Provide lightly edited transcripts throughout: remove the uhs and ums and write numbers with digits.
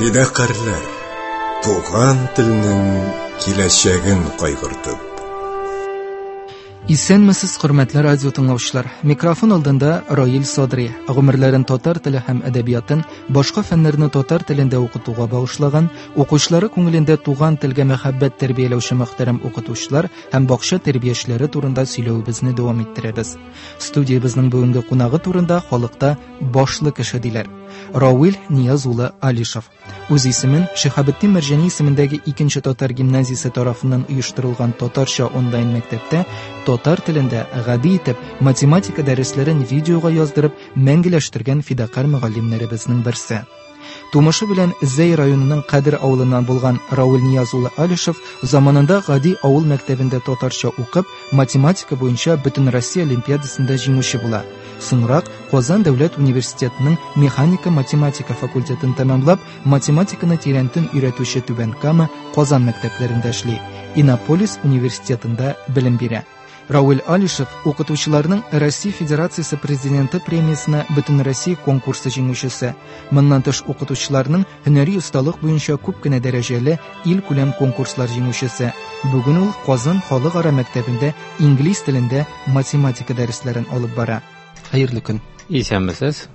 Фидакарьләр, туган телнең киләчәген кайгыртып. Исәнмесез, хөрмәтле радио тыңлаучылар. Микрофон алдында Раил Садри. Гомерләрен татар теле һәм әдәбиятын, башка фәннәрне татар телендә укытуга багышлаган, укучылары күңелендә туган телгә мәхәббәт тәрбияләүче мөхтәрәм укытучылар һәм бакча тәрбиячеләре турында сөйләвебезне дәвам иттерәбез. Студиябезнең бүгенге кунагы турында халыкта башлы кеше диләр. Равил Нияз улы Алишев. Үз исемен Шиһабетдин Мәрҗани исемендәге икенче татар гимназиясе тарафыннан оештырылган татарча онлайн мәктәптә татар телендә гади итеп математика дәресләрен видеога яздырып мәңгеләштергән фидакарь мөгаллимнәребезнең берсе. Тумышы белән Зәй районының Кадер авылыннан булган Равил Нияз улы Алишев заманында гади авыл мәктәбендә татарча укып, математика буенча Бөтенроссия олимпиадасында җиңүче була. Соңрак Казан дәүләт университетының механика-математика факультетын тәмамлап, математиканы тирәнтен өйрәтүче Түбән Кама, Казан мәктәпләрендә эшли. Иннополис университетында белем бирә. Равил Алишев укытучыларның Россия Федерациясе Президенты премиясенә Бөтенроссия конкурсы җиңүчесе. Моннан тыш укытучыларның һөнәри осталык буенча күп кенә дәрәҗәле илкүләм конкурслар җиңүчесе. Бүген ул Казан халыкара мәктәбендә инглиз телендә математика дәресләрен алып бара. Хәерле көн. Исәнмесез.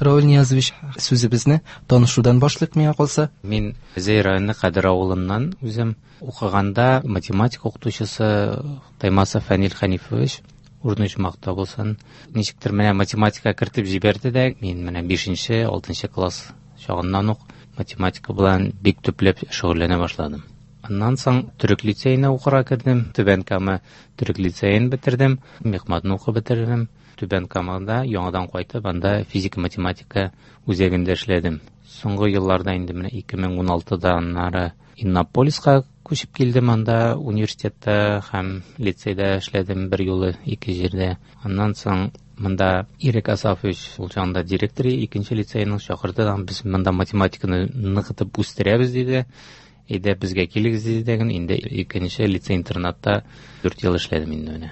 Равил Ниязович, сүзебезне танышудан башлыйк миңа калса. Мин Зәй районы Кадер авылыннан үзем. Укыганда математика укытучысы Таймасов Фәнил Хәнифович урыны оҗмахта булсын. Ничектер менә математика кертеп җибәрде дә, мин менә 5-нче, 6-нчы класс чагыннан ук математика белән бик төпләп шөгыльләнә башладым. Аннан соң төрек лицеена укырга кердем. Түбән Кама төрек лицеен бетердем, мехматны укып бетердем. Түбән Камада яңадан кайтып, анда физика-математика үзәгендә эшләдем. Соңгы елларда инде менә 2016-да аннары Иннополиска күчеп килдем, анда университетта һәм лицейда эшләдем бер юлы ике җирдә. Аннан соң монда Ирек Асафович, ул чагында директор икенче лицейның, чакырды да, без монда математиканы ныгытып үстерәбез, диде. Әйдә, безгә килегез, диде дә, инде икенче лицей-интернатта 4 ел эшләдем инде менә.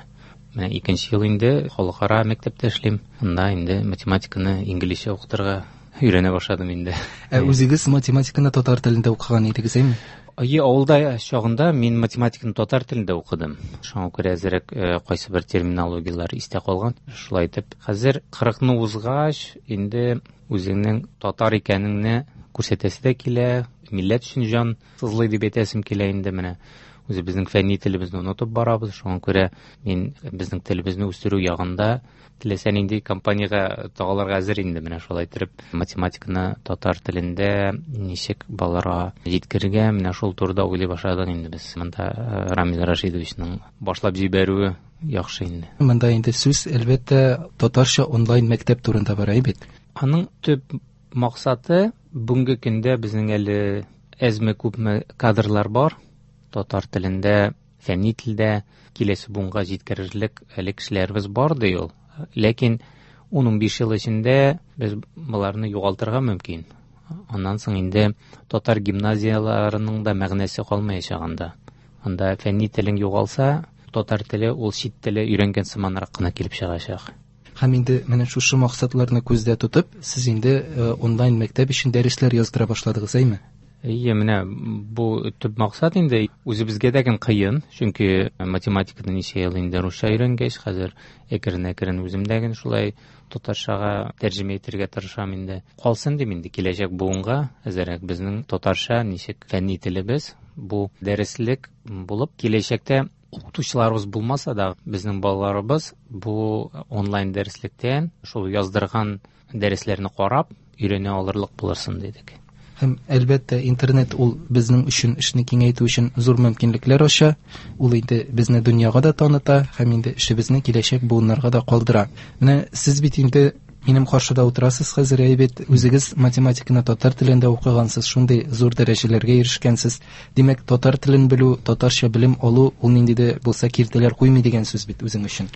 Менә икенче ел инде халыкара мәктәптә эшлим. Анда инде математиканы инглизчә укытырга өйрәнә башладым инде. Ә үзегез математиканы татар телендә укыган идегез, әйме? Әйе, авылда чагында мин математиканы татар телендә укыдым. Шуңа күрә әзрәк кайсы бер терминологияләр истә калган. Шулай итеп, хәзер 40-ны узгач, инде үзеңнең татар икәнеңне күрсәтәсе дә килә, милләт өчен җан сызлый дип әйтәсем килә инде менә. Үзебезнең фәнни телебезне онытып барабыз. Шуңа күрә мин безнең телебезне үстерү ягында теләсә нинди компаниягә тагылырга әзер инде менә шулай итеп математиканы татар телендә ничек балаларга җиткерергә, менә шул турыда уйлый башладык инде без. Монда Рамил Рашидовичның башлап җибәрүе яхшы инде. Монда инде сүз, әлбәттә, татарча онлайн мәктәп турында бара бит. Аның төп максаты бүгенге көндә безнең әле әзме-күпме кадрлар бар. Татар телендә, фәнни телдә киләсе буынга җиткерерлек әле кешеләребез бар ди ул. Ләкин ун-унбиш ел эчендә без боларны югалтырга мөмкин. Аннан соң инде татар гимназияләренең дә мәгънәсе калмаячак анда. Анда фәнни телең югалса, татар теле ул чит теле өйрәнгән сыманрак кына килеп чыгачак. Һәм инде менә шушы максатларны күздә тотып, сез инде онлайн мәктәп өчен дәресләр яздыра башладыгыз, әйме? Әйе, менә бу төп максат инде. Үзебезгә дә гел кыен, чөнки математиканы ничә ел инде русча өйрәнгәч, хәзер әкрен-әкрен үзем дә гел шулай татарчага тәрҗемә итәргә тырышам инде. Калсын дим инде киләчәк буынга, әзерәк безнең татарча ничек фәнни телебез, бу дәреслек булып киләчәктә укытучыларыбыз булмаса да, безнең балаларыбыз бу онлайн дәреслектән шул яздырган дәресләрне карап өйрәнә алырлык булырсын дидек. Һәм әлбәттә интернет ул безнең өчен эшне киңәйтү өчен зур мөмкинлекләр ача, ул инде безне дөньяга да таныта һәм инде эшебезне киләчәк буыннарга да калдыра. Менә сез бит инде минем каршыда утырасыз хәзер, әйбәт, үзегез математиканы татар телендә укыгансыз, шундый зур дәрәҗәләргә ирешкәнсез. Димәк, татар телен белү, татарча белем алу ул нинди дә булса киртәләр куймый дигән сүз бит үзең өчен.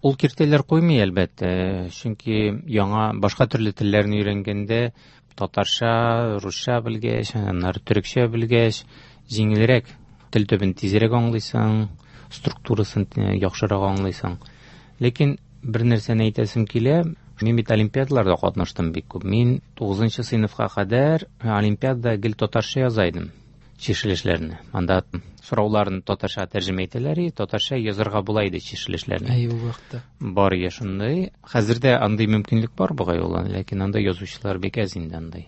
Ул киртәләр куймый, әлбәттә, чөнки яңа башка төрле телләрне өйрәнгәндә татарча, русча белгәч, аннары төрекчә белгәч, җиңелрәк, тел төбен тизрәк аңлыйсың, структурасын яхшырак аңлыйсың. Ләкин бер нәрсәне әйтәсем килә, Мин бит олимпиадаларда катнаштым бик күп. Мин 9 сыйныфка кадәр олимпиадада гел татарча яза идем чишелешләрне. Анда сорауларны татарча тәрҗемә итәләр, и татарча язарга була иде чишелешләрне. Әй, ул вакытта. Бар я шундый. Хәзер дә андый мөмкинлек бар бугай ул, ләкин анда язучылар бик әз инде андый.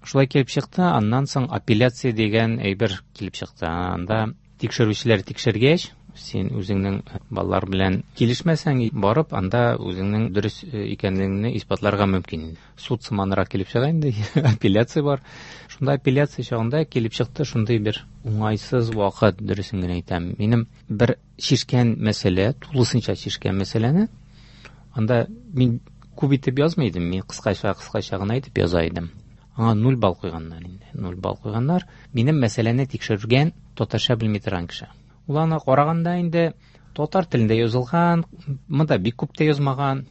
Шулай килеп чыкты, аннан соң апелляция дигән әйбер килеп чыкты. Анда тикшерүчеләр тикшергәч, син үзеңнең балалар белән килешмәсәң, барып анда үзеңнең дөрес икәнлегеңне исбатларга мөмкин. Суд сыманрак килеп чыга инде, апелляция бар. Шунда апелляция чагында килеп чыкты шундый бер уңайсыз вакыт, дөресен генә әйтәм. Минем бер чишкән мәсьәлә, тулысынча чишкән мәсьәләне, анда мин күп итеп язмый идем, мин кыскача-кыскача гына итеп яза идем. Аңа 0 балл куйганнар инде. 0 балл куйганнар. Минем мәсьәләне тикшергән татарча белми торган кеше. Ул аны караганда инде татар телендә язылган, монда бик күп тә язмаган.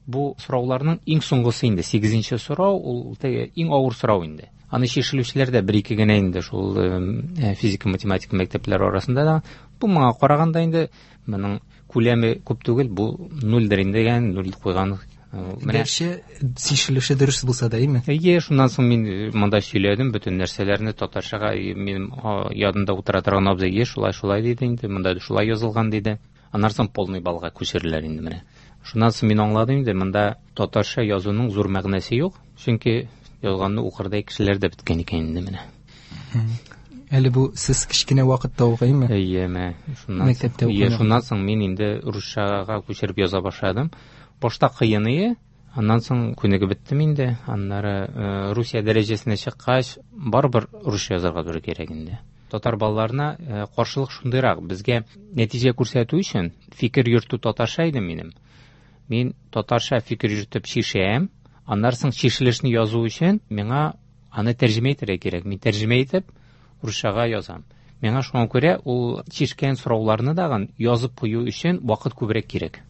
Бу сорауларның иң соңгысы инде, 8-нче сорау, ул теге иң авыр сорау инде. Аны чишелүчеләр дә бер-ике генә инде шул физика, математика мәктәпләре арасында да. Бу моңа караганда инде моның күләме күп түгел, бу нульдер инде дигән, нуль куйган. Менә Гәрчә чишелеше дөрес булса да, әйме? Әйе, шуннан соң мин монда сөйләдем бөтен нәрсәләрне татарчага, минем янымда утыра торган абзый, е, шулай, шулай диде инде, монда шулай язылган диде. Аннан соң полный баллга күчерделәр инде менә. Шуннан соң мин аңладым инде, монда татарча язуның зур мәгънәсе юк, чөнки язганны укырдай кешеләр дә беткән икән инде менә. Әле бу сез кечкенә вакытта ук, әйме? Әйе, менә шуннан Мәктәптә соң, әйе, укыган. шуннан соң мин инде русчага күчереп яза башладым. Башта кыен иде, аннан соң күнегеп беттем инде. Аннары Русия дәрәҗәсенә чыккач, барыбер русча язарга туры кирәк инде. Татар балаларына каршылык шундыйрак. Безгә нәтиҗә күрсәтү өчен фикер йөртү татарча иде минем. Мин татарча фикер йөртеп чишәм, аннан соң чишелешне язу өчен миңа аны тәрҗемә итәргә кирәк. Мин тәрҗемә итеп русчага язам. Миңа шуңа күрә ул чишкән сорауларны дагын язып кую өчен вакыт күбрәк кирәк.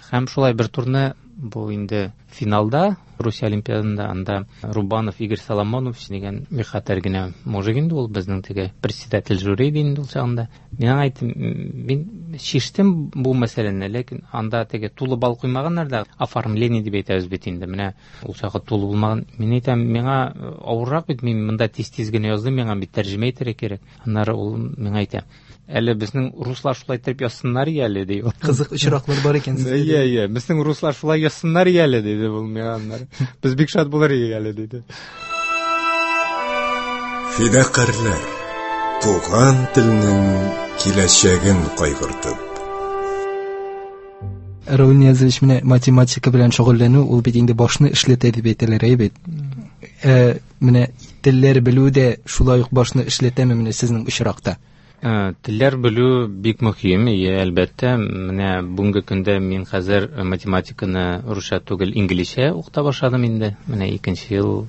Һәм шулай бер турны бу инде финалда Русия Олимпиадында анда Рубанов Игорь Соломонович дигән бик хәтәр генә мужик инде ул, безнең теге председатель жюри иде инде ул чагында. Мин аңа әйттем, мин чиштем бу мәсьәләне, ләкин анда теге тулы балл куймаганнар да, оформление дип әйтәбез бит инде. Менә ул чагы тулы булмаган. Мин әйтәм, миңа авыррак бит, мин монда тиз-тиз генә яздым, миңа бит тәрҗемә итәргә кирәк. Аннары ул миңа әйтә, әле безнең руслар шулай итеп язсыннар әле, ди ул. Кызык очраклар бар икән сездә. Әйе, әйе, безнең руслар шулай язсыннар әле, диде ул миңа аннары. Без бик шат булыр идек әле, диде. Фидакарьләр, туган телнең киләчәген кайгыртып. Равил Ниязович, менә математика белән шөгыльләнү, ул бит инде башны эшләтә дип әйтәләр, әйе бит? Менә телләр белү дә шулай ук башны эшләтәме менә сезнең очракта? Телләр белү бик мөһим, әйе, әлбәттә. Менә бүгенге көндә мин хәзер математиканы русча түгел, инглизчә укыта башладым инде. Менә икенче ел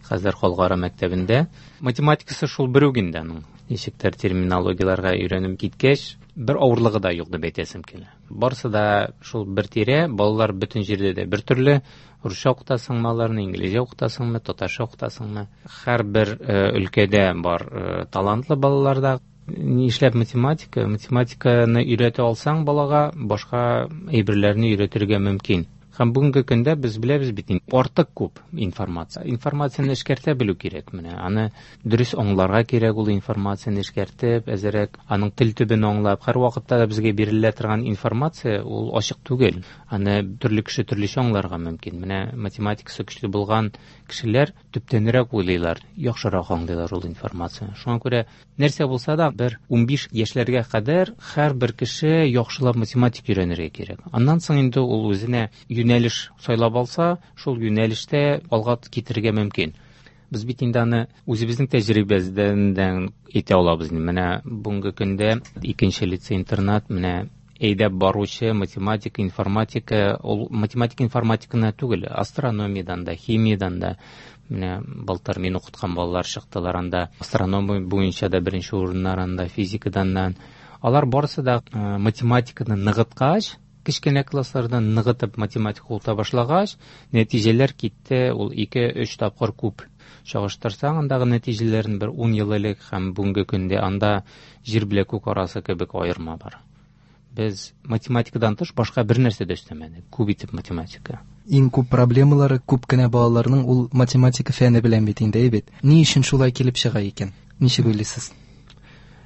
хәзер Халыкара мәктәбендә. Математикасы шул бер үк инде аның. Ничектер терминологияләргә өйрәнеп киткәч, бер авырлыгы да юк дип әйтәсем килә. Барысы да шул бер тирә, балалар бөтен җирдә дә бер төрле. Русча укытасыңмы аларны, инглизчә укытасыңмы, татарча укытасыңмы? Һәрбер өлкәдә бар талантлы балалар да. Нишләп математика? Математиканы өйрәтә алсаң балага, башка әйберләрне өйрәтергә мөмкин. Һәм бүгенге көндә без беләбез бит инде, артык күп информация. Информацияне эшкәртә белү кирәк менә. Аны дөрес аңларга кирәк ул информацияне эшкәртеп, әзерәк аның тел төбен аңлап, һәр вакытта да безгә бирелә торган информация ул ачык түгел. Аны төрле кеше төрлечә аңларга мөмкин. Менә математикасы көчле булган кешеләр төптәнрәк уйлыйлар, яхшырак аңлыйлар ул информацияне. Шуңа күрә нәрсә булса да бер 15 яшьләргә кадәр һәрбер кеше яхшылап математика өйрәнергә кирәк. Аннан соң инде ул үзенә юнәлеш сайлап алса, шул юнәлештә алга китерергә мөмкин. Без бит инде аны үзебезнең тәҗрибәдән әйтә алабыз. Менә бүгенге көндә икенче лицей-интернат, менә әйдәп баручы математика, информатика, ул математика, информатиканы түгел, астрономиядан да, химиядан да. Менә былтыр мин укыткан балалар чыктылар анда, астрономия буенча да беренче урыннар анда, физикадан да. Алар барысы да математиканы ныгыткач, кечкенә класслардан ныгытып математика укыта башлагач, нәтиҗәләр китте, ул ике-өч тапкыр күп. Чагыштырсаң, андагы нәтиҗәләрен бер 10 ел элек һәм бүгенге көндә анда җир белән күк арасы кебек аерма бар. Без математикадан тыш башка бер нәрсә дә өстәмәдек. Күп итеп математика. Иң күп проблемалары күп кенә балаларның ул математика фәне белән бит инде, әйе бит. Ни өчен шулай килеп чыга икән? Ничек уйлыйсыз?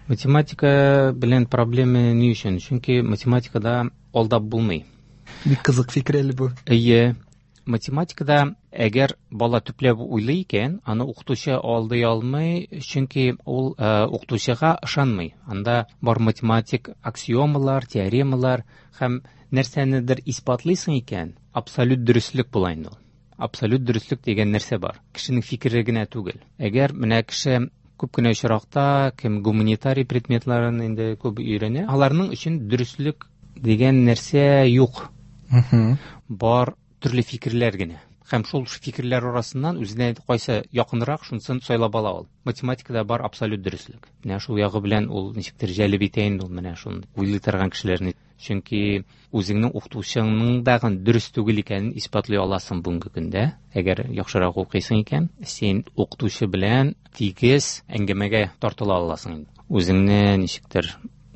Математика белән проблема ни өчен? Чөнки математикада алдап булмый. Бик кызык фикер әле бу. Әйе, математикада әгәр бала төпләп уйлый икән, аны укытучы алдый алмый, чөнки ул укытучыга ышанмый. Анда бар математик аксиомалар, теоремалар һәм нәрсәнедер исбатлыйсың икән, абсолют дөреслек була инде ул. Абсолют дөреслек дигән нәрсә бар. Кешенең фикере генә түгел. Әгәр менә кеше күп кенә очракта кем гуманитарий предметларын инде күп өйрәнә, аларның өчен дөреслек дигән нәрсә юк. Бар төрле фикерләр генә. Һәм шул фикерләр арасыннан үзенә кайсы якынрак, шунысын сайлап ала ул. Математикада бар абсолют дөреслек. Менә шул ягы белән ул ничектер җәлеп итә инде ул менә шуны уйлый торган кешеләрне. Чөнки үзеңнең укытучыңның да дөрес түгел икәнен исбатлый аласың бүгенге көндә. Әгәр яхшырак укыйсың икән, син укытучы белән тигез әңгәмәгә тартыла аласың инде. Үзеңне ничектер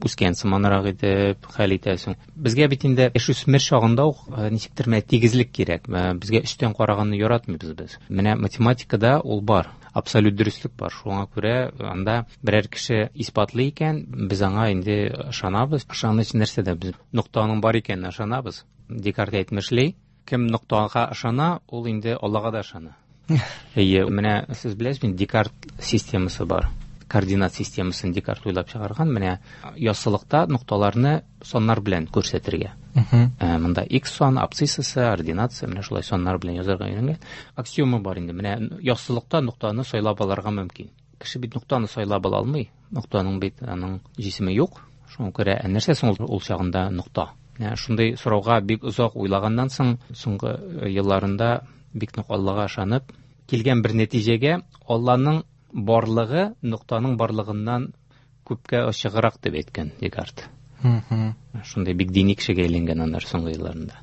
үскән сыманрак итеп хәл итәсең. Безгә бит инде яшүсмер чагында ук ничектер менә тигезлек кирәк. Безгә өстән караганны яратмыйбыз без. Менә математикада ул бар, абсолют дөреслек бар. Шуңа күрә анда берәр кеше исбатлый икән, без аңа инде ышанабыз. Ышаныч нәрсәдә? Без ноктаның бар икәненә ышанабыз. Декарт әйтмешли, кем ноктага ышана, ул инде Аллага да ышана. Әйе, менә сез беләсезме, Декарт системасы бар. Координат системасын Декарт уйлап чыгарган. Менә яссылыкта нокталарны саннар белән күрсәтергә. Монда x сан, абсциссасы, ординатасы, менә шулай саннар белән язарга өйрәнгән. Аксиома бар инде. Менә яссылыкта ноктаны сайлап алырга мөмкин. Кеше бит ноктаны сайлап ала алмый. Ноктаның бит аның җисеме юк. Шуңа күрә нәрсә соң ул чагында нокта? Менә шундый сорауга бик озак уйлаганнан соң, соңгы елларында бик нык Аллага ышанып, килгән бер нәтиҗәгә: Алланың барлыгы ноктаның барлыгыннан күпкә ачыграк дип әйткән Декарт. Шундый бик дини кешегә әйләнгән аннары соңгы елларында.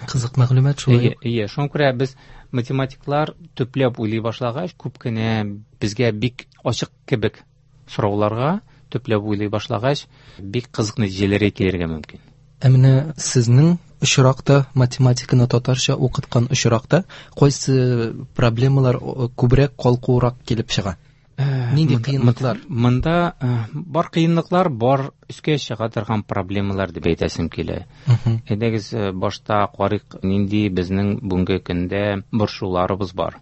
Кызык мәгълүмат шулай. Әйе, шуңа күрә без математиклар төпләп уйлый башлагач, күп кенә безгә бик ачык кебек сорауларга төпләп уйлый башлагач, бик кызык нәтиҗәләргә килергә мөмкин. Ә менә сезнең очракта, математиканы татарча укыткан очракта, кайсы проблемалар күбрәк калкуырак килеп чыга? Нинди кыенлыклар? Монда бар кыенлыклар, бар өскә чыга торган проблемалар дип әйтәсем килә. Әйдәгез, башта карыйк, нинди безнең бүгенге көндә борчуларыбыз бар.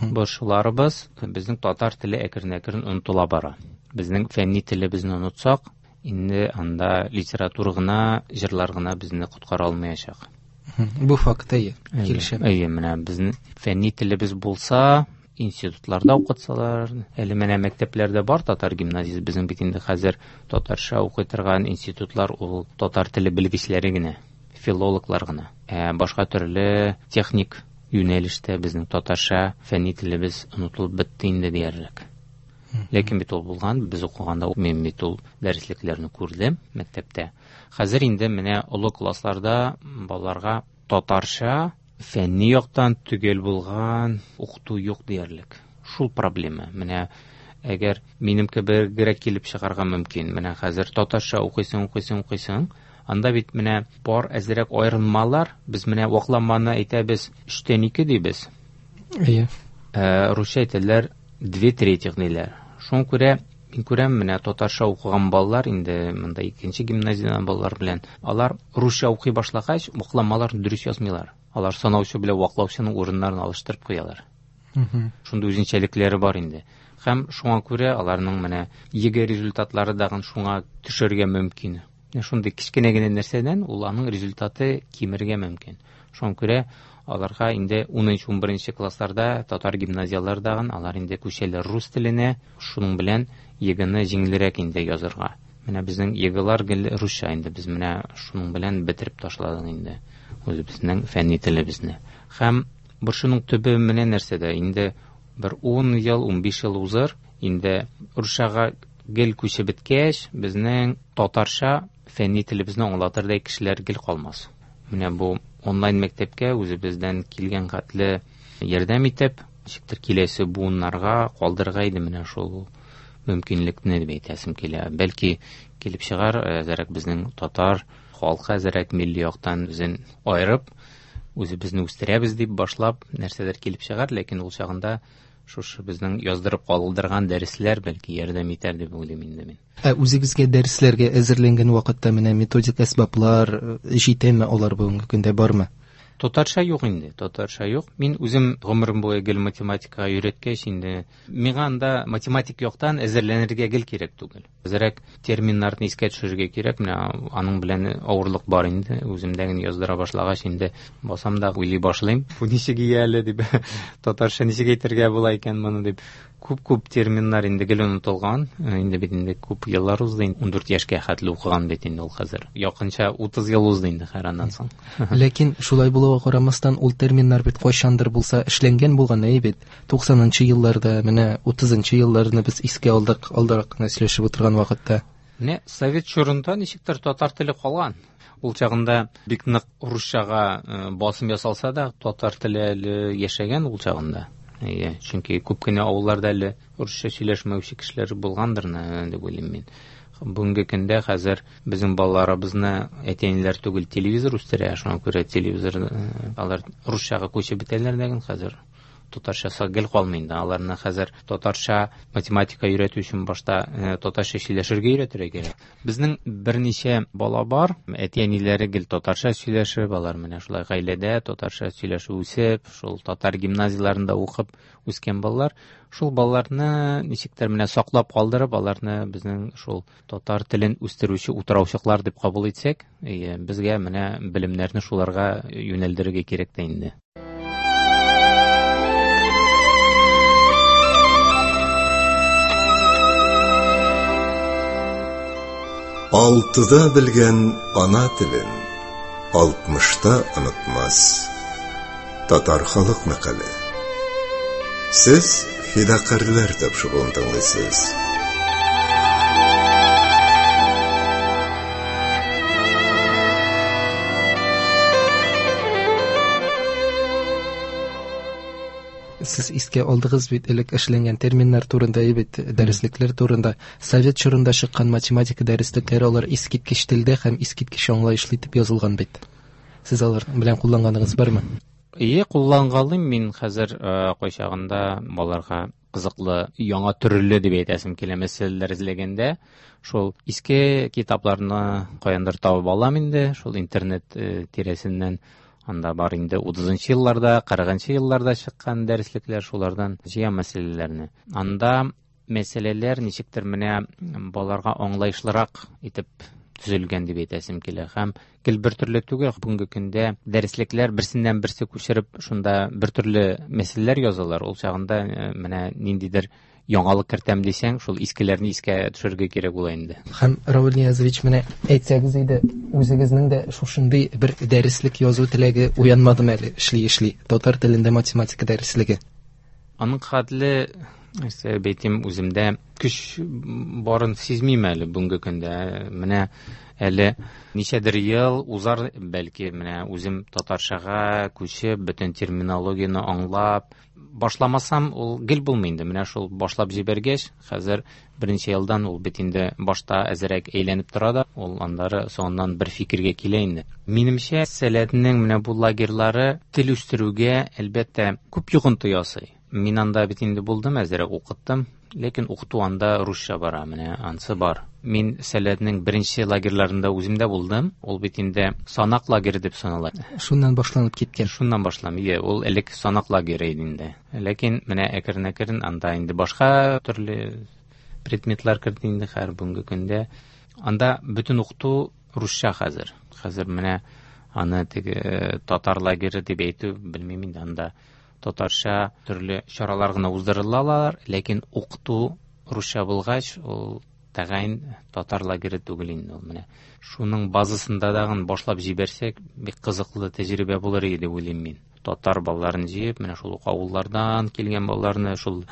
Борчуларыбыз, безнең татар теле әкрен-әкрен онытыла бара. Безнең фәнни телебезне онытсак, инде анда литература гына, җырлар гына безне коткара алмаячак. Бу факт, әйе, килешәм. Әйе, менә безнең фәнни телебез булса, институтларда укытсалар, әле менә мәктәпләрдә бар татар гимназиясе, безнең бит инде хәзер татарча укый торган институтлар ул татар теле белгечләре генә, филологлар гына. Ә башка төрле техник юнәлештә безнең татарча фәнни телебез онытылып бетте инде диярлек. Ләкин бит ул булган, без укыганда мин бит ул дәреслекләрне күрдем мәктәптә. Хәзер инде менә олы классларда балаларга татарча фәнни яктан төгәл булган укыту юк диярлек. Шул проблема. Менә әгәр минем кебегрәк килеп чыгарга мөмкин. Менә хәзер татарча укыйсың, укыйсың, укыйсың. Анда бит менә бар әзрәк аерылмалар. Без менә вакламаны әйтәбез, 3-2 дибез. Әйе. Русча әйтәләр 2/3 диләр. Шуңа күрә мин күрәм, менә татарча укыган балалар инде монда икенче гимназиядән балалар белән, алар русча укый башлагач, вакламаларны дөрес язмыйлар. Алар санаучы белән ваклаучының урыннарын алыштырып куялар. Шундый үзенчәлекләре бар инде. Һәм шуңа күрә аларның менә ЕГЭ результатлары дагын шуңа төшергә мөмкин. Менә шундый кечкенә генә нәрсәдән ул аның результаты кимергә мөмкин. Шуңа күрә аларга инде 10-11 классларда татар гимназияләрдәген алар инде күчәләр рус теленә, шуның белән ЕГЭны җиңелрәк инде язырга. Менә безнең ЕГЭлар гел русча инде, без менә шуның белән бетереп ташладык инде үзебезнең фәнни телебезне. Һәм борчуның төбе менә нәрсәдә, инде бер 10 ел, 15 ел узыр, инде русчага гел күчеп беткәч, безнең татарча фәнни телебезне аңлатырдай кешеләр гел калмас. Менә бу онлайн мәктәпкә үзебездән килгән хәтле ярдәм итеп, ничектер киләсе буыннарга калдырырга иде менә шул мөмкинлекне дип әйтәсем килә. Бәлки килеп чыгар, әзерәк безнең татар халкы әзерәк милли яктан үзен айырып, Үзебезне үстерәбез дип башлап нәрсәдер килеп чыгар, ләкин ул чагында шушы безнең яздырып калдырган дәресләр бәлки ярдәм итәр дип уйлыйм инде мин. Ә үзегезгә дәресләргә әзерләнгән вакытта менә методик әсбаплар җитәме, алар бүгенге көндә бармы? Татарча юк инде, татарча юк. Мин үзем гомерем буе гел математикага өйрәткәч инде, миңа анда математик яктан әзерләнергә гел кирәк түгел. Әзрәк терминнарны искә төшерергә кирәк, менә аның белән авырлык бар инде. Үземдә генә яздыра башлагач инде басам да уйлый башлыйм. Бу ничек ия әле дип, татарча ничек әйтергә була икән моны дип. Күп-күп терминнар инде гел онытылган. Инде бит инде күп еллар узды, инде 14 яшькә хәтле укыган бит инде ул хәзер. Якынча 30 ел узды инде хәер аннан соң. Ләкин шулай булуга карамастан, ул терминнар бит кайчандыр булса эшләнгән булган, әйе бит. 90нчы елларда, менә 30нчы елларны без искә алдык, алдарак кына сөйләшеп утырган вакытта. Менә совет чорында ничектер татар теле калган. Ул чагында бик нык русчага басым ясалса да, татар теле әле яшәгән ул чагында. Әйе, чөнки күп кенә авылларда әле русча сөйләшмәүче кешеләр булгандыр, дип уйлыйм мин. Бүгенге көндә хәзер безнең балаларыбызны әти-әниләр түгел, телевизор үстерә, шуңа күрә телевизор, алар русчага күчеп бетәләр дә, хәзер татарчасы гел калмый инде. Аларны хәзер татарча математика өйрәтү өчен башта татарча сөйләшергә өйрәтергә кирәк. Безнең берничә бала бар, әти-әниләре гел татарча сөйләшеп, алар менә шулай гаиләдә татарча сөйләшеп үсеп, шул татар гимназияләрендә укып үскән балалар. Шул балаларны ничектер менә саклап калдырып, аларны безнең шул татар телен үстерүче утраучыклар дип кабул итсәк, безгә менә белемнәрне шуларга юнәлдерергә кирәк тә инде. Алтыда белгән ана телен 60та онытмас. Татар халык мәкале. Сез фидакарьләр тапшыруын тыңлыйсыз. Сез искә алдыгыз бит элек эшләнгән терминнар турында, бит дәреслекләр турында. Совет чорында чыккан математика дәреслекләре алар искиткеч телдә һәм искиткеч аңлаешлы итеп язылган бит. Сез алар белән кулланганыгыз бармы? Ие, куллангалыйм мин хәзер, кайчагында балаларга кызыклы, яңа төрле дип әйтәсем килә мәсьәләләр эзләгәндә, шул иске китапларны каяндыр табып алам инде, шул интернет тирәсеннән. Анда бар инде 30 елларда, 40 елларда чыккан дәреслекләр, шулардан җыя мәсьәләләрне. Анда мәсьәләләр ничектер менә балаларга аңлаешлырак итеп төзелгән дип әйтәсем килә. Һәм гел бер төрле түгел, бүгенге көндә дәреслекләр берсеннән берсе күчереп, шунда бер төрле мәсьәләләр язалар. Ул чагында менә ниндидер яңалык кертәм дисәң, шул искеләрне искә төшерергә кирәк була инде. Һәм Равил Ниязович, менә әйтсәгез иде, үзегезнең дә шушындый бер дәреслек язу теләге уянмадымы әле, эшли-эшли, татар телендә математика дәреслеге? Аның хәтле, нәрсә әйтим, үземдә көч барын сизмим әле бүгенге көндә. Менә әле ничәдер ел узар, бәлки менә үзем татарчага күчеп, бөтен терминологияне аңлап, башламасам, ул гел булмый инде. Менә шул башлап җибәргәч, хәзер берничә елдан ул бит инде башта әзерәк әйләнеп тора да, ул аннары соңыннан бер фикергә килә инде. Минемчә, Сәләтнең менә бу лагерьлары тел үстерүгә, әлбәттә, күп йогынты ясый. Мин анда бит инде булдым, әзерәк укыттым, ләкин укыту анда русча бара, менә ансы бар. Мин Сәләтнең беренче лагерьларында үзем дә булдым. Ул бит инде Санак лагере дип санала. Шуннан башланып киткән. Шуннан башланып, ие, ул элек Санак лагере иде инде. Ләкин менә әкрен-әкрен анда инде башка төрле предметлар керде инде хәзер бүгенге көндә. Анда бөтен укыту русча хәзер. Хәзер менә аны теге татар лагере дип әйтү белмим инде, анда татарча төрле чаралар гына уздырылалар, ләкин укыту русча булгач, ул тәгаен татар лагере түгел инде ул. Менә шуның базасында дагын башлап җибәрсәк, бик кызыклы тәҗрибә булыр иде дип уйлыйм мин. Татар балаларын җыеп, менә шул ук авыллардан килгән балаларны, шул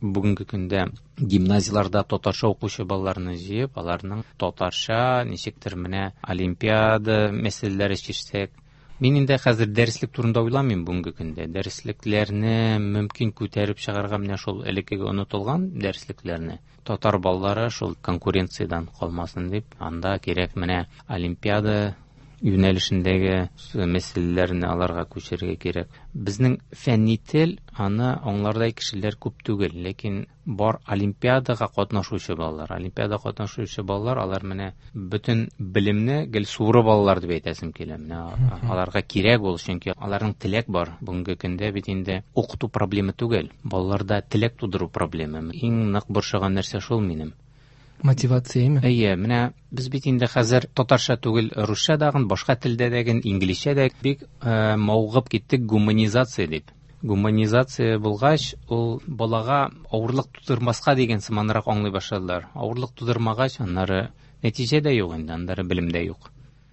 бүгенге көндә гимназияларда татарча укучы балаларны җыеп, аларның татарча ничектер менә олимпиада мәсьәләләре чишсәк. Мин инде хәзер дәреслек турында уйламыйм бүгенге көндә. Дәреслекләрне мөмкин күтәреп чыгарга менә шул элеккеге онытылган дәреслекләрне. Татар балалары шул конкуренциядән калмасын дип, анда кирәк менә олимпиада юнәлешендәге мәсьәләләрне аларга күчерергә кирәк. Безнең фәнни тел, аны аңлардай кешеләр күп түгел, ләкин бар олимпиадага катнашучы балалар. Олимпиада катнашучы балалар, алар менә бөтен белемне гел суырып алалар дип әйтәсем килә. Менә аларга кирәк ул, чөнки аларның теләк бар. Бүгенге көндә бит инде укыту проблемы түгел, балаларда теләк тудыру проблемы. Иң нык борчыган нәрсә шул минем. Мотивацияме? Әйе, менә без бит инде хәзер татарча түгел, русча дагын, башка телдә дә, инглизчә дә бик мавыгып киттек гуманизация дип. Гуманизация булгач, ул балага авырлык тудырмаска дигән сыманрак аңлый башладылар. Авырлык тудырмагач, аннары нәтиҗә дә юк инде, аннары белем дә юк.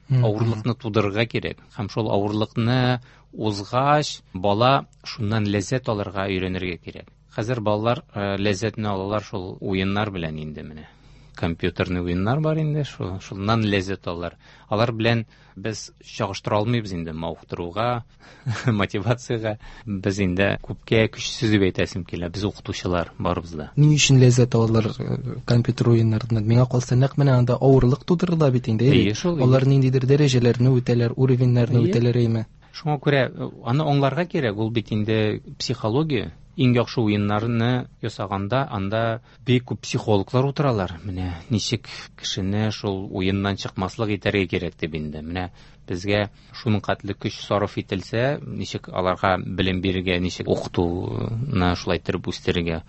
Авырлыкны тудырырга кирәк. Һәм шул авырлыкны узгач, бала шуннан ләззәт алырга өйрәнергә кирәк. Хәзер балалар ләззәтне алалар шул уеннар белән инде менә. Компьютерный уеннар бар инде, шуннан ләззәт алалар. Алар белән без чагыштыра алмыйбыз инде мавыктыруга, мотивациягә. Без инде күпкә көчсез дип әйтәсем килә, без укытучылар барыбыз да. Ни өчен ләззәт алалар компьютер уеннарыннан? Миңа калса, нәкъ менә анда авырлык тудырыла бит инде. Әйе, шул. Алар ниндидер дәрәҗәләрне үтәләр, уровеньнәрне үтәләр, әйме? Шуңа күрә аны аңларга кирәк, ул бит инде психология. Иң яхшы уеннарны ясаганда анда бик күп психологлар утыралар. Менә ничек кешене шул уеннан чыкмаслык итәргә кирәк дип инде. Менә безгә шуның катлы көч сарыф ителсә, ничек аларга белем бирергә, ничек укытуны шулай иттереп үстерергә.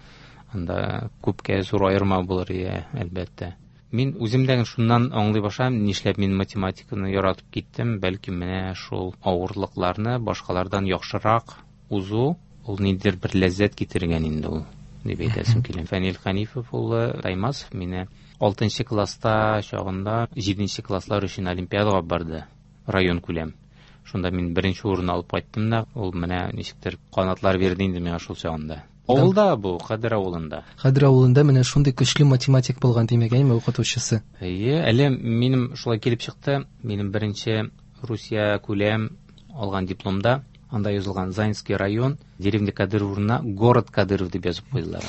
Анда күпкә зур аерма булыр, әлбәттә. Мин үзем дә шуннан аңлый башладым, нишләп мин математиканы яратып киттем, бәлки менә шул авырлыкларны башкалардан яхшырак узу, ул ниндидер бер ләззәт китергән инде ул, дип әйтәсем килә. Фәнил Хәнифов улы Таймасов мине 6 класста чагында 7 класслар өчен олимпиадага барды, район күләм. Шунда мин беренче урын алып кайттым да, ул менә ничектер канатлар бирде инде миңа шул чагында. Авылда бу, Кадер авылында. Кадер авылында менә шундый көчле математик булган, димәк, әйме, укытучысы? Әйе, әле минем шулай килеп чыкты. Минем беренче Русия күләм алган дипломда анда язылган Заинский район, деревня Кадыров урынына город Кадыров дип язып куйдылар.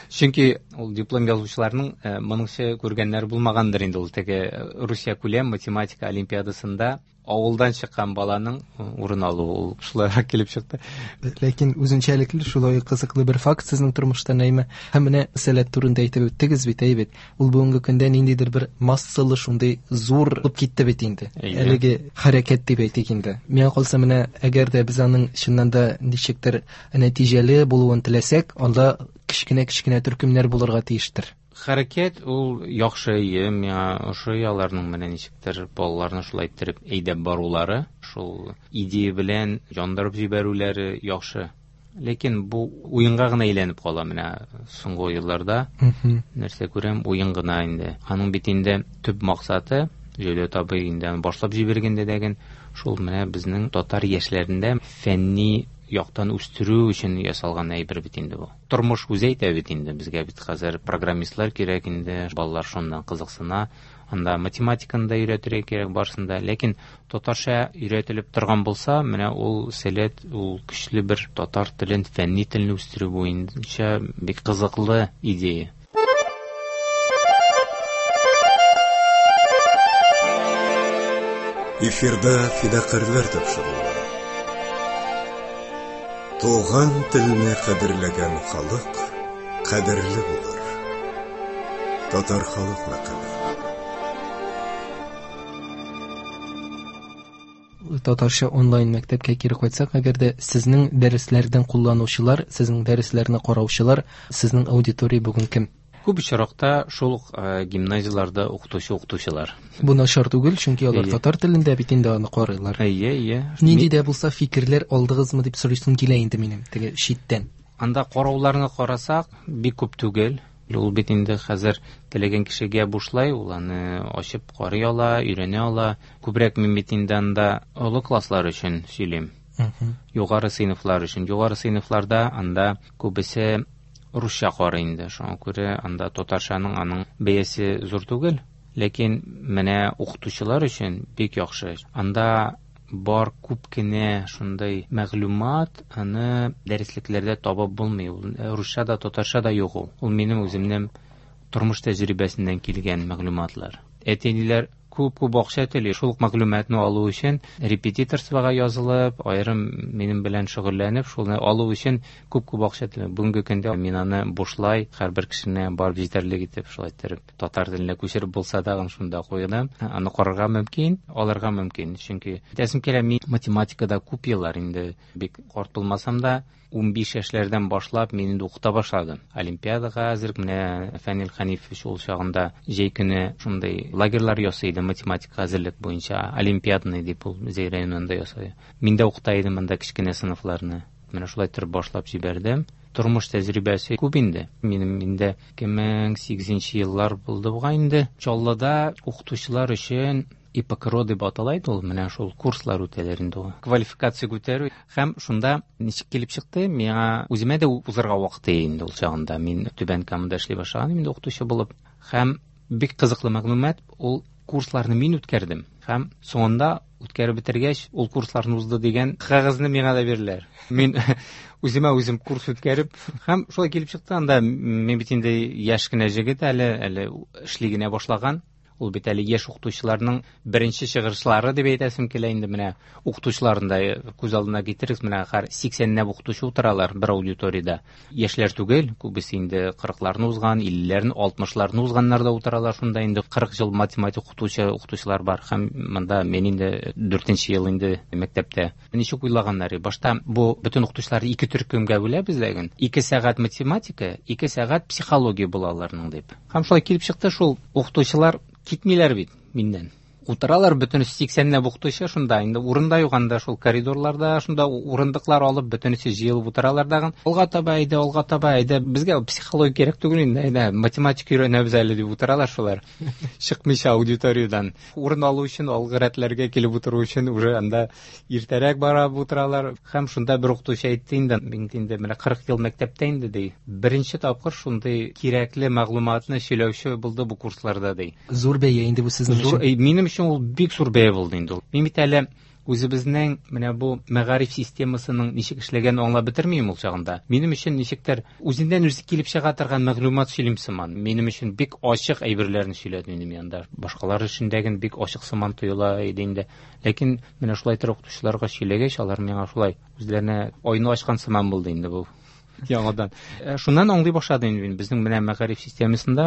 Чөнки ул диплом язучыларның моңынча күргәннәре булмагандыр инде ул теге Русия күләм математика олимпиадасында авылдан чыккан баланың урын алуы ул шулайрак килеп чыкты. Ләкин үзенчәлекле шулай кызыклы бер факт сезнең тормышта, Нәймә. Һәм менә сәләт турында әйтеп үттегез бит, әй бит. Ул бүгенге көндә ниндидер бер массалы шундый зур булып китте бит инде. Әлеге хәрәкәт дип әйтик инде. Миңа калса, менә әгәр дә без аның чыннан да ничектер нәтиҗәле булуын теләсәк, анда кечкенә-кечкенә төркемнәр булырга тиештер. Хәрәкәт ул яхшы, әйе, миңа ошый аларның менә ничектер балаларны шулай иттереп әйдәп барулары, шул идея белән яндырып җибәрүләре яхшы. Ләкин бу уенга гына әйләнеп кала менә соңгы елларда. Нәрсә күрәм, уен гына инде. Аның бит инде төп максаты, Җәүдәт абый инде аны башлап җибәргәндә дәген, шул менә безнең татар яшьләрендә фәнни яктан үстерү өчен ясалган әйбер бит инде бу. Тормыш үзе әйтә бит инде, безгә бит хәзер программистлар кирәк инде, балалар шуннан кызыксына, анда математиканы да өйрәтергә кирәк барысын да, ләкин татарча өйрәтелеп торган булса, менә ул сәләт, ул көчле бер татар телен, фәнни телне үстерү буенча бик кызыклы идея. Эфирда фидакарьләр тапшыруы. Туган телне кадерләгән халык кадерле булыр. Татар халык мәкале. Татарча онлайн мәктәпкә кире кайтсак, әгәр дә сезнең дәресләрдән кулланучылар, сезнең дәресләрне караучылар, сезнең аудитория бүген кем? Күп очракта шул ук гимназияларда укытучы укытучылар. Бу начар түгел, чөнки алар татар телендә бит инде аны карыйлар. Әйе, әйе. Нинди дә булса фикерләр алдыгызмы дип сорыйсым килә инде минем, теге читтән. Анда карауларны карасак, бик күп түгел. Ул бит инде хәзер теләгән кешегә бушлай, ул аны ачып карый ала, өйрәнә ала. Күбрәк мин бит инде анда олы класслар өчен сөйлим. Югары сыйныфлар өчен. Югары сыйныфларда анда күбесе русча карый инде. Шуңа күрә анда татарчаның аның бәясе зур түгел. Ләкин менә укытучылар өчен бик яхшы. Анда бар күп кенә шундай мәгълүмат, аны дәреслекләрдә табып булмый. Ул русча да, татарча да юк ул. Ул минем үземнең тормыш тәҗрибәсеннән килгән мәгълүматлар. Әти-әниләр Күп-күп акча түли. Шул ук мәгълүматны алу өчен репетиторствога язылып, аерым минем белән шөгыльләнеп, шуны алу өчен күп-күп акча түли. Бүгенге көндә мин аны бушлай һәрбер кешене барып җитәрлек итеп, шулай иттереп, татар теленә күчереп булса да, шунда куйдым. Аны карарга мөмкин, алырга мөмкин. Чөнки әйтәсем килә, мин математикада күп еллар инде, бик карт булмасам да, 15 яшьләрдән башлап мин инде укыта башладым. Олимпиадага әзер менә Фәнил Хәнифович ул чагында җәй көне шундый лагерьлар ясый иде математика әзерлек буенча, олимпиадный дип ул Зәй районында ясый. Мин дә укыта идем анда кечкенә сыйныфларны. Менә шулай торып башлап җибәрдем. Тормыш тәҗрибәсе күп инде. Минем инде 2008 еллар булды бугай инде. Чаллыда укытучылар өчен ИПКРО дип атала иде ул, менә шул курслар үтәләр инде ул. Квалификация күтәрү һәм шунда ничек килеп чыкты, миңа үземә дә узырга вакыт инде ул чагында. Мин Түбән Камада эшли башлаган инде укытучы булып. Һәм бик кызыклы мәгълүмат, ул курсларны мин үткәрдем. Һәм соңында үткәреп бетергәч, ул курсларны узды дигән кәгазьне миңа да бирделәр. Мин үземә үзем курс үткәреп, һәм шулай килеп чыкты, анда мин бит инде яшь кенә җегет әле, әле эшли генә башлаган. Ул бит әле яшь укытучыларның беренче чыгышлары дип әйтәсем килә инде, менә укытучыларын да күз алдына китерегез, менә һәр 80-нәп укытучы утыралар бер аудиториядә. Яшьләр түгел, күбесе инде 40-ларны узган, 50-ләрне, 60-ларны узганнар да утыралар шунда инде 40 ел математик укытучылар бар. Һәм монда мин инде 4-нче ел инде мәктәптә. Ничек уйлаганнар? Башта бу бөтен укытучыларны ике төркемгә бүләбез дәген. 2 сәгать математика, 2 сәгать психология була аларның дип. Һәм шулай килеп чыкты, шул укытучылар китмиләр бит миннән. Утыралар бөтенесе 80-нәп укытучы шунда, инде урында юк анда, шул коридорларда шунда урындыклар алып бөтенесе җыелып утыралар дагын. Алга таба әйдә, алга таба әйдә, безгә психология кирәк түгел инде, әйдә, математика өйрәнәбез әле дип утыралар шулар. Чыкмыйча аудиториядан. Урын алу өчен, алгы рәтләргә килеп утыру өчен уже анда иртәрәк барып утыралар. Һәм шунда бер укытучы әйтте инде, мин инде менә 40 ел мәктәптә инде ди. Беренче тапкыр шундый кирәкле мәгълүматны сөйләүче булды бу курсларда ди. Зур бәя инде бу сезнең өчен. Минем өчен ул бик зур бәя булды инде ул. Мин бит әле үзебезнең менә бу мәгариф системасының ничек эшләгәнен аңлап бетермим ул чагында. Минем өчен ничектер үзеннән үзе килеп чыга торган мәгълүмат сөйлим сыман. Минем өчен бик ачык әйберләрне сөйләде инде мин анда. Башкалар өчен дә бик ачык сыман тоела иде инде. Ләкин менә шулай торып укытучыларга сөйләгәч, алар миңа шулай үзләренә айны ачкан сыман булды инде бу. Яңадан. Шуннан аңлый башладым инде мин. Безнең менә мәгариф системасында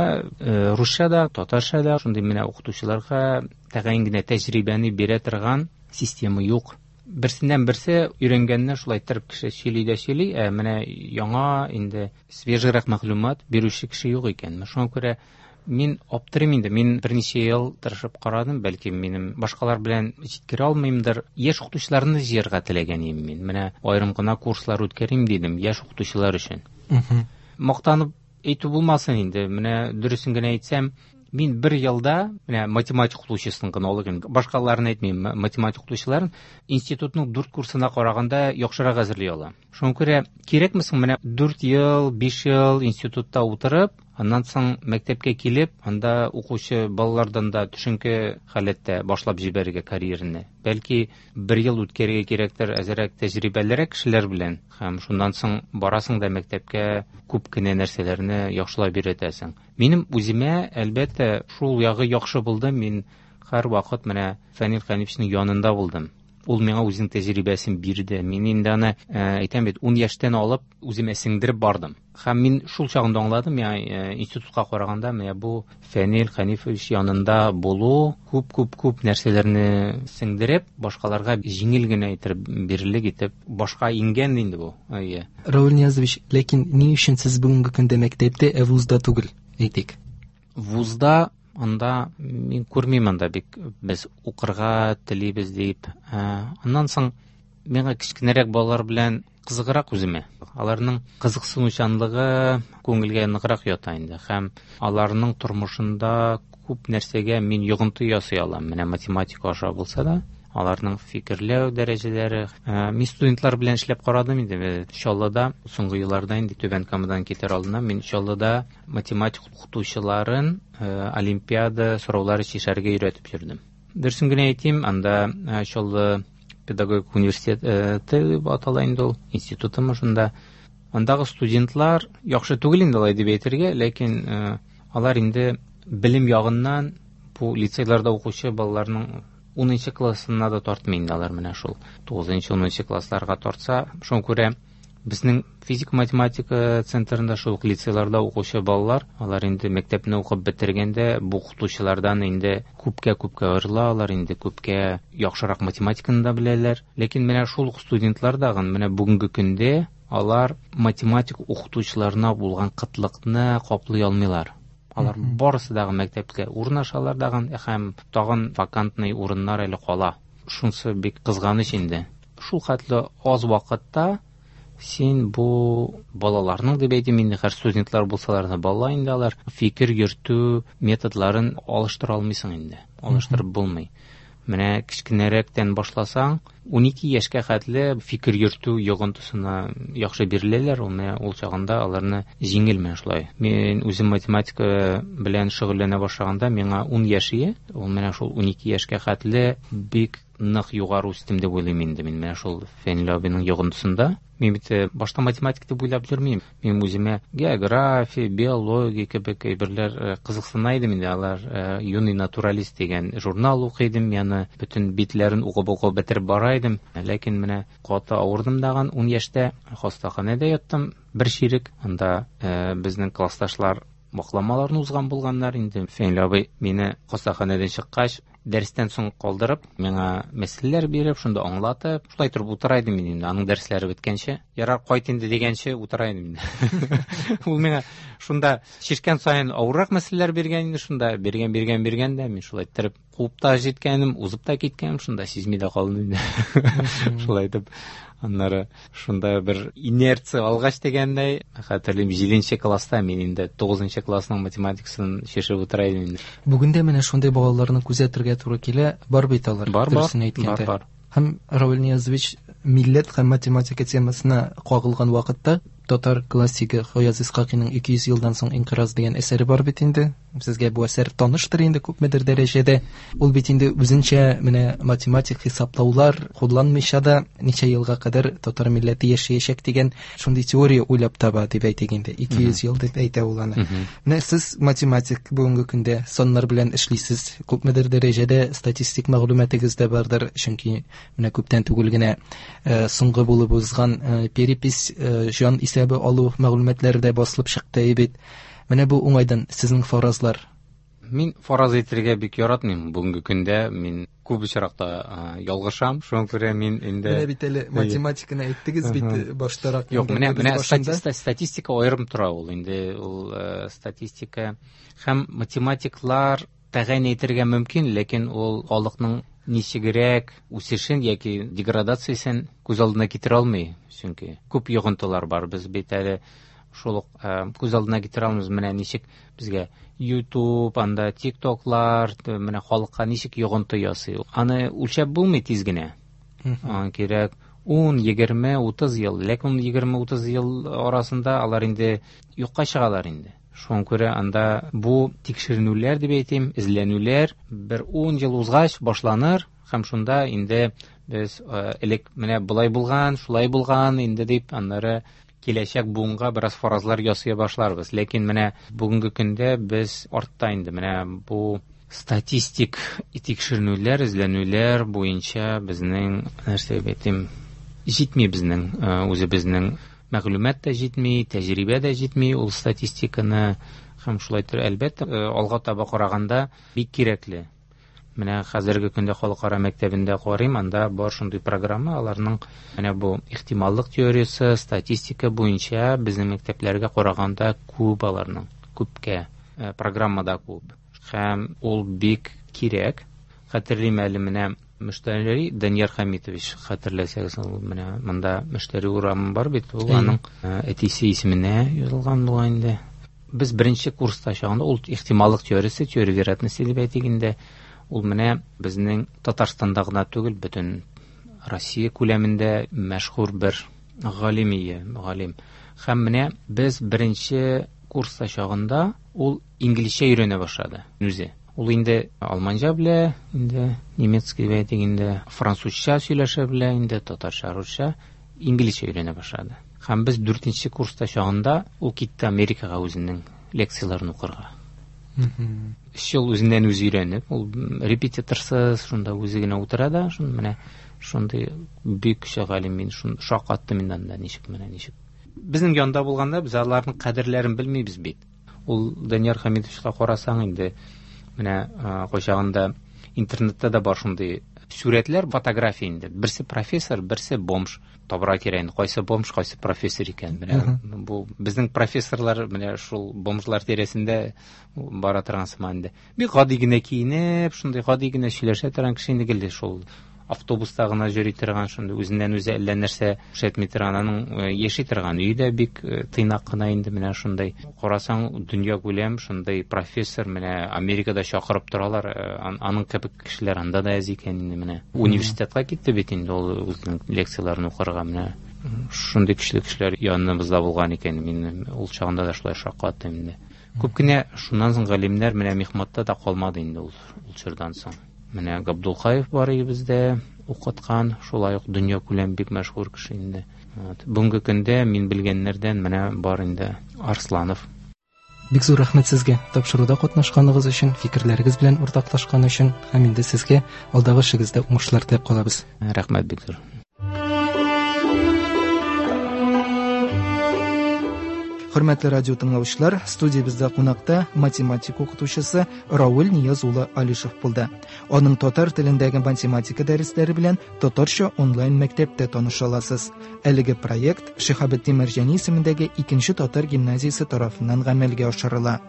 русча да, татарча да шундый менә укытучыларга тәгаен генә тәҗрибәне бирә торган система юк. Берсеннән берсе өйрәнгәнне шулай иттереп кеше сөйли дә сөйли, ә менә яңа инде свежийрак мәгълүмат бирүче кеше юк икән. Шуңа күрә мин аптырыйм инде. Мин берничә ел тырышып карадым, бәлки минем башкалар белән җиткерә алмыймдыр. Яшь укытучыларны җыярга теләгән идем мин. Менә аерым гына курслар үткәрим дидем яшь укытучылар өчен. Мактанып әйтү булмасын инде. Менә дөресен генә әйтсәм, мин бер елда менә математик укытучысын гына алыйм инде. Башкаларын әйтмим, математик укытучыларын институтның 4 курсына караганда яхшырак әзерли алам. Шуңа күрә кирәкме соң менә 4 ел, 5 ел институтта утырып, аннан соң мәктәпкә килеп, анда укучы балалардан да төшенке халәттә башлап җибәрергә карьераны. Бәлки бер ел үткәрергә кирәктер әзерәк тәҗрибәлерәк кешеләр белән, һәм шуннан соң барасың да мәктәпкә күп кенә нәрсәләрне яхшылап өйрәтәсең. Минем үземә, әлбәттә, шул ягы яхшы булды. Мин һәрвакыт менә Фәнил Хәнифовичның янында булдым. Ул миңа үзенең тәҗрибәсен бирде. Мин инде аны, әйтәм бит, 10 яшьтән алып үземә сеңдереп бардым. Һәм мин шул чагында аңладым, институтка караганда менә бу Фәнил Хәнифович янында булу күп-күп-күп нәрсәләрне сеңдереп, башкаларга җиңел генә итеп бирелек итеп башка иңгән инде бу. Әйе. Равил Ниязович, ләкин ни өчен сез бүгенге көндә мәктәптә, ә вузда түгел, әйтик? Вузда анда мин күрмим анда бик без укырга телибез дип. Аннан соң миңа кечкенәрәк балалар белән кызыграк үземә. Аларның кызыксынучанлыгы күңелгә ныграк ята инде. Һәм аларның тормышында күп нәрсәгә мин йогынты ясый алам. Менә математика аша булса да, аларның фикерләү дәрәҗәләре. Мин студентлар белән эшләп карадым инде. Чаллыда соңгы елларда инде Түбән Камадан китәр алдыннан мин Чаллыда математик укытучыларын олимпиада сораулары чишәргә өйрәтеп йөрдем. Дөресен генә әйтим, анда Чаллы педагогик университеты дип атала инде ул, институтымы шунда. Андагы студентлар яхшы түгел инде алай дип әйтергә, ләкин алар инде белем ягыннан Бу лицейларда укучы балаларның 10 классына да тартмый инде алар, менә шул 9-10 классларга тартса. Шуңа күрә безнең физика-математика центрында шул ук лицейларда укучы балалар, алар инде мәктәпне укып бетергәндә бу укытучылардан инде күпкә-күпкә аерыла, алар инде күпкә яхшырак математиканы да беләләр. Ләкин менә шул ук студентлар дагын менә бүгенге көндә алар математик укытучыларына булган кытлыкны каплый алмыйлар. Алар барысы дагы мәктәпкә урнашалар дагын, һәм тагын вакантный урыннар әле кала. Шунысы бик кызганыч инде. Шул хәтле аз вакытта син бу балаларның, дип әйтим инде, һәр студентлар булсалар да бала инде алар, фикер йөртү методларын алыштыра алмыйсың инде. Алыштырып булмый. Менә кечкенәрәктән башласаң, 12 яшькә хәтле фикер йөртү йогынтысына яхшы биреләләр, ул менә ул чагында аларны җиңел менә шулай. Мин үзем математика белән шөгыльләнә башлаганда миңа 10 яшь ие, ул менә шул 12 яшькә хәтле бик нык югары үстем дип уйлыйм инде мин менә шул Фәнил абыйның йогынтысында. Мин бит башта математик дип уйлап йөрмим. Мин үземә география, биология кебек әйберләр кызыксына идем инде. Алар Юный натуралист дигән журнал укый идем, яны бөтен битләрен укып-укып бетереп бара идем. Ләкин менә каты авырдым дагын 10 яшьтә, хастаханәдә яттым бер чирек. Анда безнең классташлар вакламаларны узган булганнар инде. Фәнил абый мине хастаханәдән чыккач, дәрестән соң калдырып, миңа мәсьәләләр биреп, шунда аңлатып, шулай торып утыра идем мин инде, аның дәресләре беткәнче. Ярар, кайт инде дигәнче утыра идем инде. Ул миңа шунда шешкән саен авыррак мәсьәләләр биргән инде, шунда биргән, биргән, биргән дә, мин шулай иттереп куып та җиткәнем, узып та киткәнем, шунда сизми дә калдым инде. Шулай итеп, аннары шунда бер инерция алгач дигәндәй, хәтерлим, 7 класста мин инде 9 классның математикасын шешеп утыра идем инде. Бүген дә менә шундый балаларны күзәтергә туры килә, бар бит алар, Бар, бар, дөресен әйткәндә. бар, бар. Һәм Равил Ниязович милләт һәм математика темасына кагылган вакытта татар классигы Гаяз Исхакыйның 200 елдан соң инкыйраз дигән әсәре бар бит инде. Сезгә бу әсәр таныштыр инде күпмедер дәрәҗәдә. Ул бит инде үзенчә менә математик хисаплаулар кулланмыйча да ничә елга кадәр татар милләте яшәячәк дигән шундый теория уйлап таба дип әйтик инде. 200 ел дип әйтә ул аны. Менә сез математик бүгенге көндә саннар белән эшлисез. Күпмедер дәрәҗәдә статистик мәгълүматыгыз да бардыр, чөнки менә күптән түгел генә соңгы булып узган перепись җан исәбе алу мәгълүматлары да басылып чыкты бит. Менә бу уңайдан сезнең фаразлар. Мин фараз әйтергә бик яратмыйм. Бүгенге көндә мин күп очракта ялгышам. Шуңа күрә мин инде Менә бит әле Әйе. математиканы әйттегез бит баштарак. Юк, инде без менә башында. статистика аерым тора ул инде, ул статистика һәм математиклар тәгаен әйтергә мөмкин, ләкин ул халыкның ничегрәк үсешен яки деградациясен күз алдына китерә алмый, чөнки күп йогынтылар бар. Без бит әле шул ук күз алдына китерә алмыйбыз, менә ничек безгә YouTube, анда TikToklар, менә халыкка ничек йогынты ясый. Аны үлчәп булмый тиз генә. Аңа кирәк 10, 20, 30 ел. Ләкин 10, 20, 30 ел арасында алар инде юкка чыгалар инде. Шуңа күрә анда бу тикшеренүләр дип әйтим, эзләнүләр бер 10 ел узгач башланыр һәм шунда инде без элек менә болай булган, шулай булган инде дип аннары киләчәк буынга бераз фаразлар ясый башларбыз. Ләкин менә бүгенге көндә без артта инде менә бу статистик тикшеренүләр, эзләнүләр буенча безнең, нәрсә дип әйтим, җитми безнең үзебезнең мәгълүмат та җитми, тәҗрибә дә җитми ул статистиканы һәм шулай итеп, әлбәттә, алга таба караганда бик кирәкле. Менә хәзерге көндә халыкара мәктәбендә карыйм, анда бар шундый программа, аларның менә бу ихтималлык теориясе, статистика буенча безнең мәктәпләргә караганда күп аларның, күпкә программада күп. Һәм ул бик кирәк. Хәтерлим әле менә Мөштәри Данияр Хамитович, хәтерләсәгез, ул менә монда Мөштәри урамы бар бит, ул аның әтисе исеменә язылган була инде. Без беренче курста чагында ул ихтималлык теориясе, теория вероятности дип әйтик инде, ул менә безнең Татарстанда гына түгел, бөтен Россия күләмендә мәшһүр бер галим ие, галим. Һәм менә без беренче курста чагында ул инглизчә өйрәнә башлады үзе. Ул инде алманча белә, инде немецкий дип әйтик инде, французча сөйләшә белә, инде татарча, русча, инглизчә өйрәнә башлады. Һәм без дүртенче курста чагында ул китте Америкага үзенең лекцияләрен укырга. Өч ел үзеннән үзе өйрәнеп, ул репетиторсыз, шунда үзе генә утыра да, шун менә шундый бик көчле галим, мин шун шаккаттым инде анда, ничек менә ничек. Безнең янда булганда без аларның кадерләрен белмибез бит. Ул Данияр Хәмитовичка карасаң инде, менә кайчагында интернетта да бар шундый сурәтләр, фотография инде. Берсе профессор, берсе бомж. Табырга кирәк инде, кайсы бомж, кайсы профессор икән. Менә бу безнең профессорлар менә шул бомжлар тирәсендә бара торган сыман инде. Бик гади генә киенеп, шундый гади генә сөйләшә торган кеше инде гел шул автобуста гына йөри торган, шундый үзеннән үзе әллә нәрсә күрсәтми торган, аның яши торган өе дә бик тыйнак кына инде, менә шундый. Карасаң, дөнья күләм шундый профессор, менә Америкада чакырып торалар, аның кебек кешеләр анда да әз икән инде менә. Университетка китте бит инде ул үзенең лекцияләрен укырга, менә шундый көчле кешеләр яныбызда булган икән. Мин ул чагында да шулай шаккаттым инде. Күп кенә шуннан соң галимнәр менә мехматта да калмады инде ул чордан соң. Менә Габдулхаев бар иде бездә укыткан, шулай ук дөнья күләм бик мәшһүр кеше инде. Бүгенге көндә мин белгәннәрдән менә бар инде Арсланов. Бик зур рәхмәт сезгә тапшыруда катнашканыгыз өчен, фикерләрегез белән уртаклашкан өчен һәм инде сезгә алдагы эшегездә уңышлар теләп калабыз. Рәхмәт бик зур. Хөрмәтле радио тыңлаучылар, студиябездә кунакта математика укытучысы Равил Нияз улы Алишев булды. Аның татар телендәге математика дәресләре белән татарча онлайн мәктәптә таныша аласыз. Әлеге проект Шиһабетдин Мәрҗани исемендәге 2-нче татар гимназиясе тарафыннан гамәлгә ашырыла.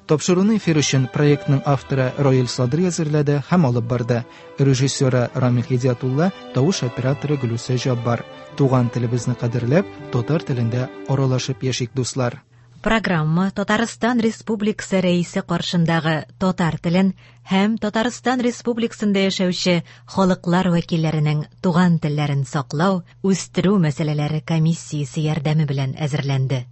Тапшыруны эфир өчен проектның авторы Раил Садри әзерләде һәм алып барды. Режиссеры Рамил Һидиятулла, тавыш операторы Гөлүсә Җаббар. Туган телебезне кадерләп, татар телендә аралашып яшик, дуслар. Программа Татарстан Республикасы Рәисе каршындагы татар телен һәм Татарстан Республикасында яшәүче халыклар вәкилләренең туган телләрен саклау, үстерү мәсьәләләре комиссиясе ярдәме белән әзерләнде.